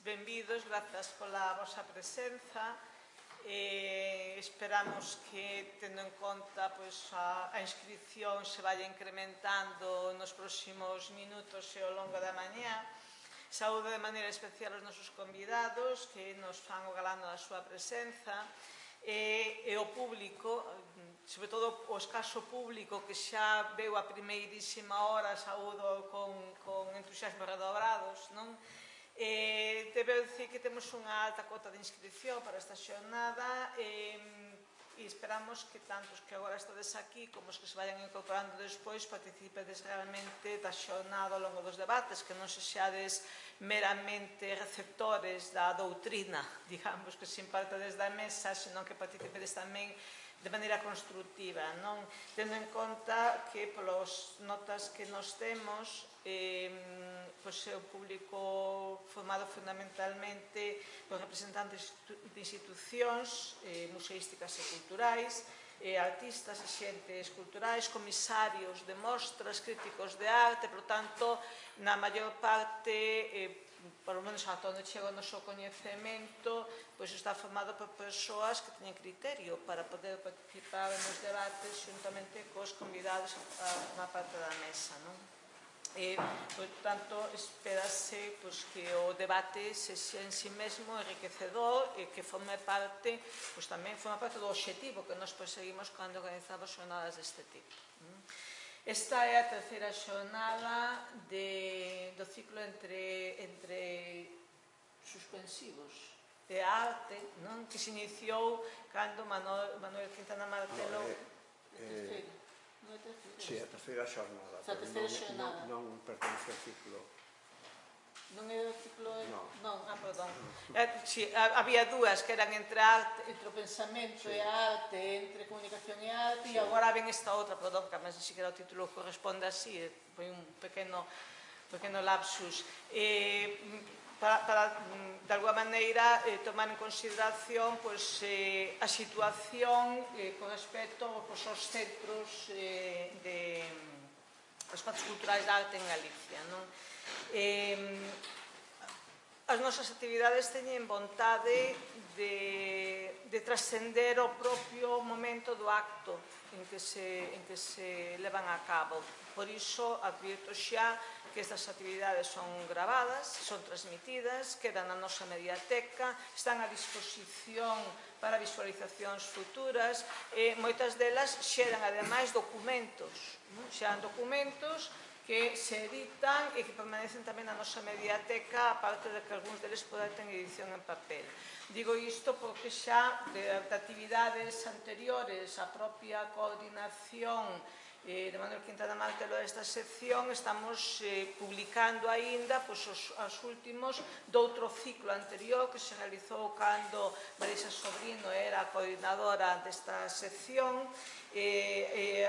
benvidos, grazas pola vosa presenza. Esperamos que, tendo en conta a inscripción, se vaya incrementando nos próximos minutos e ao longo da mañá. Saúdo de maneira especial os nosos convidados que nos fan o galán da súa presenza e o público, sobre todo o escaso público que xa veu a primeirísima hora, saúdo con entusiasmo redobrados, non? Debeu dicir que temos unha alta cota de inscripción para esta xornada e esperamos que tantos que agora estades aquí como os que se vayan incorporando despois participedes realmente da xornada ao longo dos debates, que non se xades meramente receptores da doutrina, digamos, que se imparte desde a mesa, senón que participedes tamén de maneira constructiva, non? Tendo en conta que polas notas que nos temos é o público formado fundamentalmente por representantes de institucións museísticas e culturais, artistas e xentes culturais, comisarios de mostras, críticos de arte, por tanto, na maior parte, por lo menos ata onde chega o noso coñecemento, está formado por persoas que teñen criterio para poder participar nos debates xuntamente cos convidados a formar parte da mesa, non? Por tanto, espérase que o debate sexa en si mesmo enriquecedor e que forme parte do obxectivo que nos perseguimos cando organizamos xornadas deste tipo. Esta é a terceira xornada do ciclo entre suspensivos de arte, que se iniciou cando Manuel Quintana Martelo... Si, a terceira xornada, pero non pertence ao ciclo. Non é o ciclo... Non. Perdón. Había dúas que eran entre o pensamento e a arte, entre comunicación e arte, e agora ven esta outra, perdón, que a máis ni siquiera o título corresponde así, foi un pequeno lapsus. Para, de alguma maneira, tomar en consideración a situación con respecto aos centros os centros culturais de arte en Galicia. As nosas actividades teñen vontade de trascender o propio momento do acto en que se levan a cabo. Por iso, advirto xa que estas actividades son gravadas, son transmitidas, quedan na nosa mediateca, están a disposición para visualizacións futuras e moitas delas xeran, ademais, documentos. Xeran documentos que se editan e que permanecen tamén na nosa mediateca, aparte de que algúns deles poden ter edición en papel. Digo isto porque xa de actividades anteriores a propia coordinación de Manuel Quintana Martelo desta sección, estamos publicando aínda os últimos doutro ciclo anterior que se realizou cando Marisa Sobrino era a coordinadora desta sección,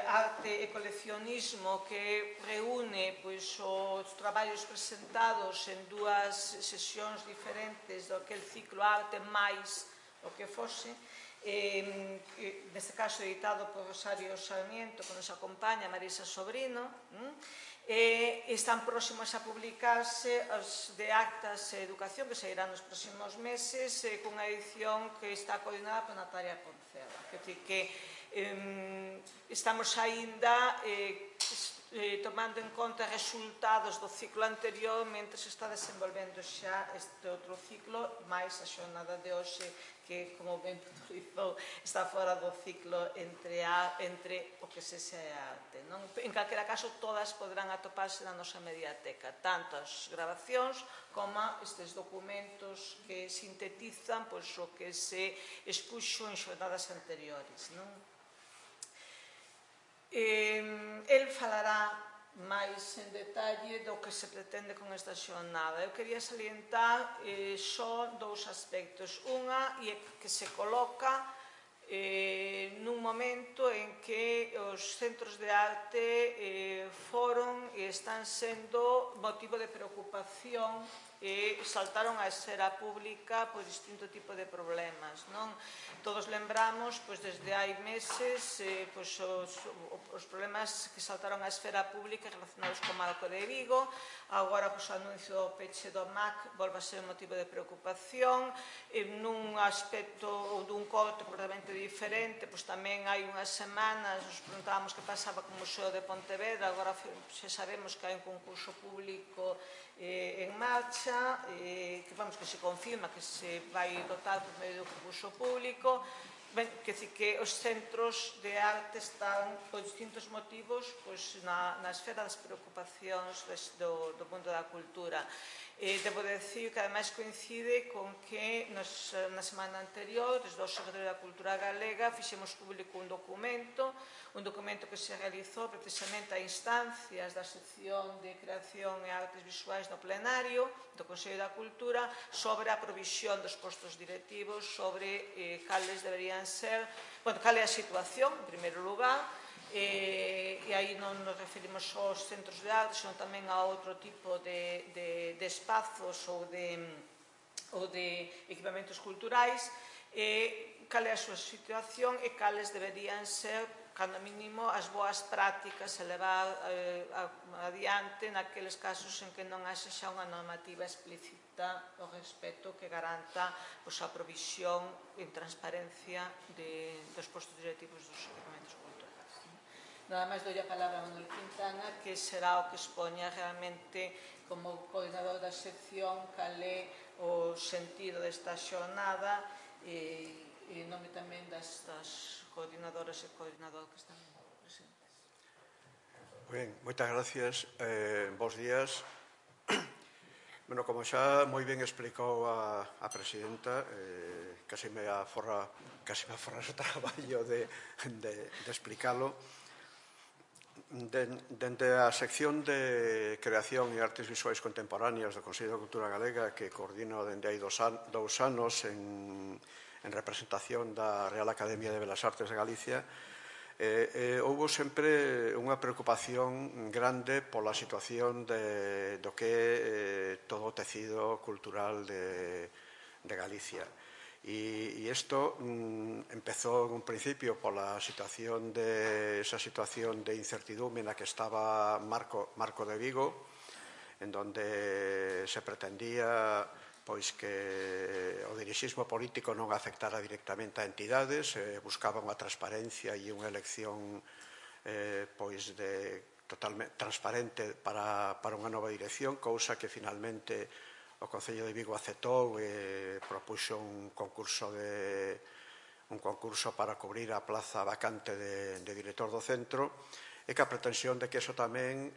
arte e coleccionismo, que reúne os traballos presentados en dúas sesións diferentes do que el ciclo arte máis o que fose, neste caso editado por Rosario Sarmiento, que nos acompaña, Marisa Sobrino, están próximos a publicarse os de actas e educación que sairán nos próximos meses cunha edición que está coordinada por Natalia Poncela. Quer dizer que estamos aínda tomando en conta resultados do ciclo anterior mentre se está desenvolvendo xa este outro ciclo, máis a xornada de hoxe que, como ben puntualizou, está fora do ciclo entre o que se é a arte. En calquera caso, todas poderán atoparse na nosa mediateca, tanto as grabacións como estes documentos que sintetizan o que se expuxo en xornadas anteriores. El falará máis en detalle do que se pretende con esta xornada. Eu quería salientar só dous aspectos. Unha é que se coloca nun momento en que os centros de arte foron e están sendo motivo de preocupación e saltaron á esfera pública por distinto tipo de problemas, non? Todos lembramos, desde hai meses, os problemas que saltaron á esfera pública relacionados co Marco de Vigo. Agora, o anuncio do peche do MAC volve a ser un motivo de preocupación. Nun aspecto ou dun corte completamente diferente, tamén hai unhas semanas nos preguntábamos que pasaba co Museo de Pontevedra. Agora xa sabemos que hai un concurso público en marcha, que se confirma que se vai dotar por medio do concurso público. Quer dizer que os centros de arte están, por distintos motivos, na esfera das preocupacións do mundo da cultura. Debo decir que ademais coincide con que na semana anterior, desde o Observatorio da Cultura Galega, fixemos público un documento que se realizou precisamente a instancias da sección de Creación e Artes Visuais no plenario do Consello da Cultura sobre a provisión dos postos directivos, sobre cales deberían ser, cal é a situación, en primeiro lugar, e aí non nos referimos só aos centros de arte, senón tamén a outro tipo de espazos ou de equipamentos culturais, cal é a súa situación e cales deberían ser, cando mínimo, as boas prácticas a levar adiante naqueles casos en que non haxe xa unha normativa explícita ao respecto que garanta a provisión en transparencia dos postos directivos dos equipamentos culturais. Nada máis doi a palabra a Manuel Quintana, que será o que expoña realmente como coordinador da sección cal é o sentido desta xornada e en nome tamén destas coordinadoras e coordinadores que están presentes. Ben, moitas gracias. Bos días. Bueno, como xa moi ben explicou a presidenta, casi me aforra o traballo de explicalo. Dende a sección de Creación e Artes Visuais Contemporáneas do Consello da Cultura Galega, que coordino dende hai 2 anos en representación da Real Academia de Belas Artes de Galicia, houve sempre unha preocupación grande pola situación do que é todo o tecido cultural de Galicia. E isto empezou en un principio pola esa situación de incertidumbre na que estaba Marco de Vigo, en donde se pretendía que o dirixismo político non afectara directamente a entidades, buscaba unha transparencia e unha elección totalmente transparente para unha nova dirección, cousa que finalmente o Concello de Vigo aceptou e propuxo un concurso para cubrir a plaza vacante de director do centro, e que a pretensión de que eso tamén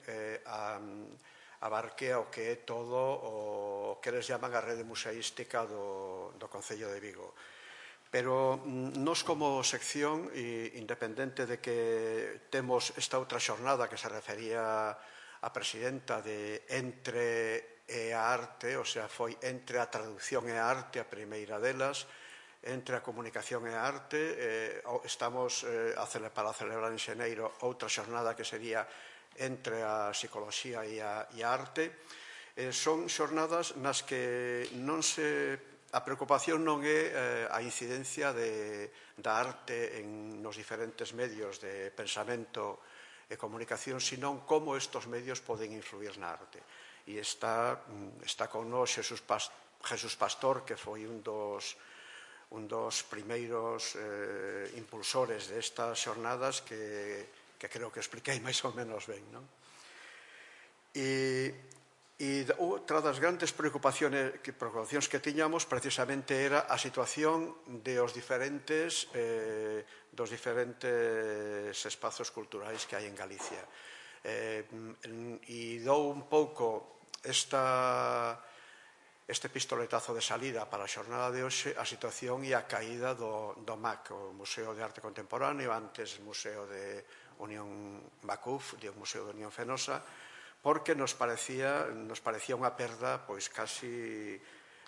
abarque o que é todo o que eles llaman a rede museística do Concello de Vigo. Pero nos como sección, independente de que temos esta outra xornada que se refería a presidenta de Entre e a Arte, o sea, foi entre a traducción e a arte a primeira delas, entre a comunicación e a arte, estamos para celebrar en xeneiro outra xornada que sería entre a psicoloxía e a arte. Son xornadas nas que a preocupación non é a incidencia da arte nos diferentes medios de pensamento e comunicación, sino como estes medios poden influir na arte. E está con nós Jesús Pastor, que foi un dos primeiros impulsores destas xornadas que creo que expliquei máis ou menos ben, non? E outra das grandes preocupacións que tiñamos precisamente era a situación dos diferentes espazos culturais que hai en Galicia. E dou un pouco este pistoletazo de salida para a xornada de hoxe a situación e a caída do MAC, o Museo de Arte Contemporáneo, antes Museo de Unión Macuf, o Museo de Unión Fenosa, porque nos parecía unha perda casi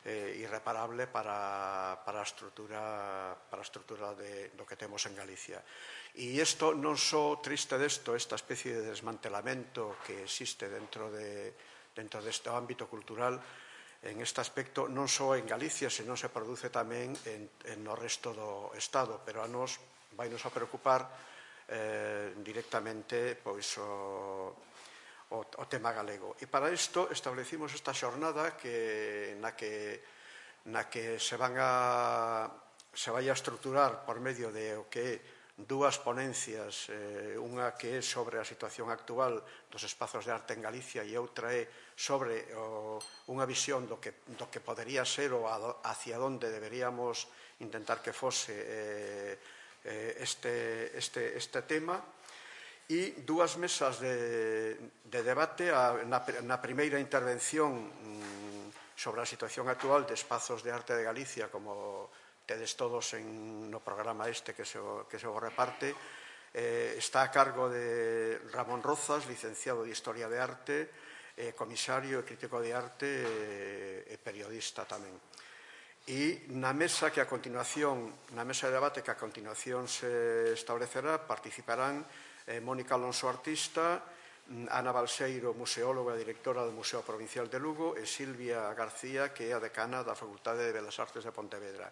irreparable para a estrutura do que temos en Galicia. E isto non só triste esta especie de desmantelamento que existe dentro deste ámbito cultural, en este aspecto non só en Galicia, senón se produce tamén no resto do Estado, pero a nos vai nos a preocupar directamente pois o tema galego. E para isto establecimos esta xornada na que se vai a estruturar por medio de o que é dúas ponencias, unha que é sobre a situación actual dos espazos de arte en Galicia e outra é sobre unha visión do que podería ser ou hacia onde deberíamos intentar que fose este tema, e dúas mesas de debate. Na primeira intervención sobre a situación actual de espazos de arte de Galicia, como tedes todos no programa que se o reparte, está a cargo de Ramón Rozas, licenciado de Historia de Arte, comisario e crítico de arte e periodista tamén. E na mesa de debate que a continuación se establecerá participarán Mónica Alonso, artista, Ana Balseiro, museóloga e directora do Museo Provincial de Lugo, e Silvia García, que é a decana da Facultade de Belas Artes de Pontevedra.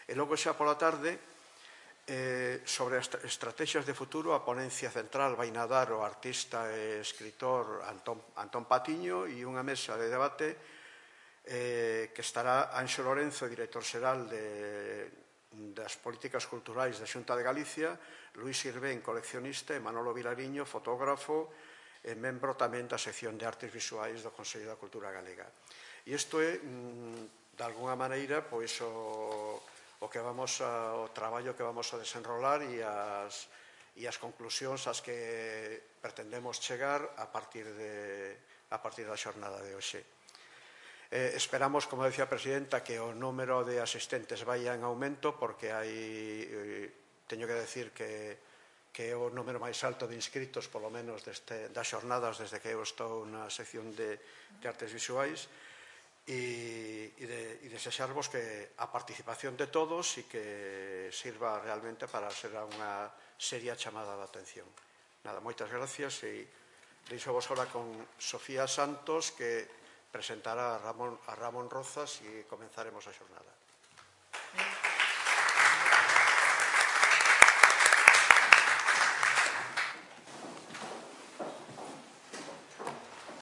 E logo xa pola tarde, sobre as estrategias de futuro, a ponencia central vai nadar o artista e escritor Antón Patiño, e unha mesa de debate que estará Anxo Lorenzo, director xeral das políticas culturais da Xunta de Galicia, Luís Irvén, coleccionista, e Manolo Vilariño, fotógrafo e membro tamén da sección de artes visuais do Consello da Cultura Galega. E isto é, de alguna maneira, pois o traballo que vamos a desenrolar e as conclusións ás que pretendemos chegar a partir da xornada de hoxe. Esperamos, como decía a presidenta, que o número de asistentes vaya en aumento, porque teño que decir que é o número máis alto de inscritos, polo menos das xornadas desde que eu estou na sección de artes visuais, e desexarvos que a participación de todos e que sirva realmente para ser unha seria chamada de atención. Nada, moitas gracias, e deixo vos ahora con Sofía Santos, que presentará a Ramón Rozas, e comenzaremos a xornada.